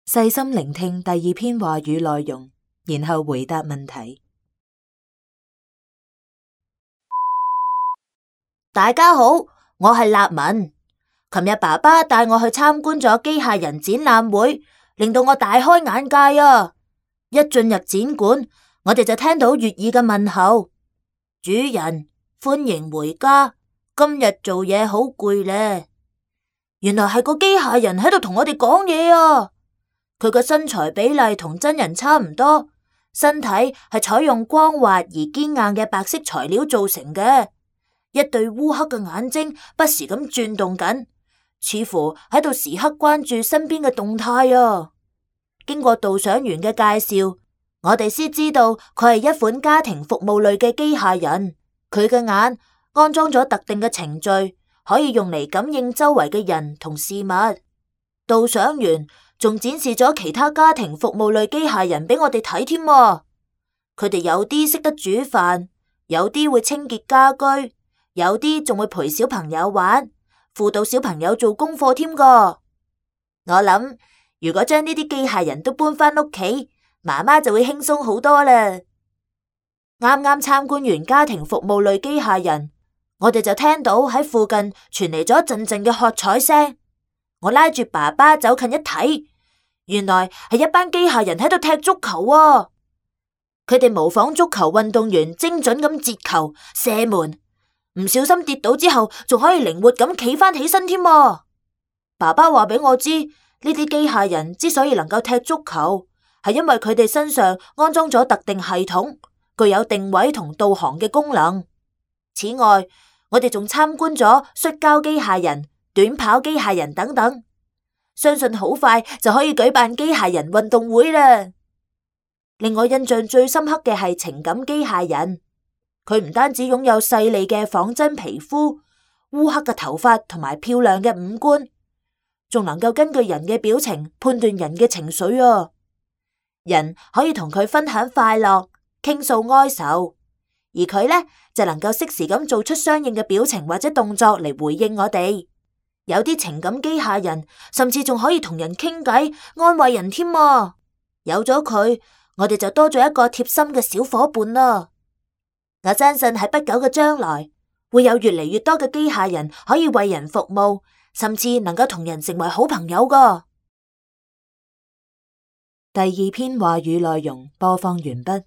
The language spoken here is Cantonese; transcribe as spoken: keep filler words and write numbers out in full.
細心聆聽第二篇話語內容，然後回答問題。大家好，我係立文。琴日爸爸帶我去參觀咗機械人展覽會，令到我大開眼界啊！一進入展館，我哋就聽到悅耳嘅問候：主人，歡迎回家。今日做嘢好攰呢。原來係個機械人喺度同我哋講嘢啊！佢個身材比例同真人差唔多，身體係採用光滑而堅硬嘅白色材料做成嘅，一對烏黑嘅眼睛不時咁轉動緊，似乎喺度時刻關注身邊嘅動態啊！經過導賞員嘅介紹，我哋先知道佢係一款家庭服務類嘅機械人，佢嘅眼安裝咗特定嘅程序，可以用嚟感應周圍嘅人同事物。導賞員仲展示咗其他家庭服務類機械人俾我哋睇添啊！佢哋有啲識得煮飯，有啲會清潔家居，有啲仲會陪小朋友玩，輔導小朋友做功課添噶。我諗如果將呢啲機械人都搬返屋企，媽媽就會輕鬆好多啦。啱啱參觀完家庭服務類機械人，我哋就聽到喺附近傳嚟咗一陣陣嘅喝彩聲。我拉住爸爸走近一睇，原來係一班機械人喺度踢足球啊！佢哋模仿足球運動員精準咁截球、射門，唔小心跌倒之後仲可以靈活咁企翻起身添啊！爸爸話俾我知，呢啲機械人之所以能夠踢足球，係因為佢哋身上安裝咗特定系統，具有定位同導航嘅功能。此外，我哋仲參觀咗摔跤機械人、短跑機械人等等，相信好快就可以舉辦機械人運動會啦。令我印象最深刻嘅係情感機械人，佢唔單止擁有細膩嘅仿真皮膚、烏黑嘅頭髮同埋漂亮嘅五官，仲能夠根據人嘅表情判斷人嘅情緒啊！人可以同佢分享快樂、傾訴哀愁，而佢呢就能夠適時咁做出相應嘅表情或者動作嚟回應我哋。有啲情感機械人甚至仲可以同人傾偈、安慰人添啊！有咗佢，我哋就多咗一個貼心嘅小伙伴啦。我相信喺不久嘅將來，會有越嚟越多嘅機械人可以為人服務，甚至能夠同人成為好朋友噶。第二篇話語內容播放完畢。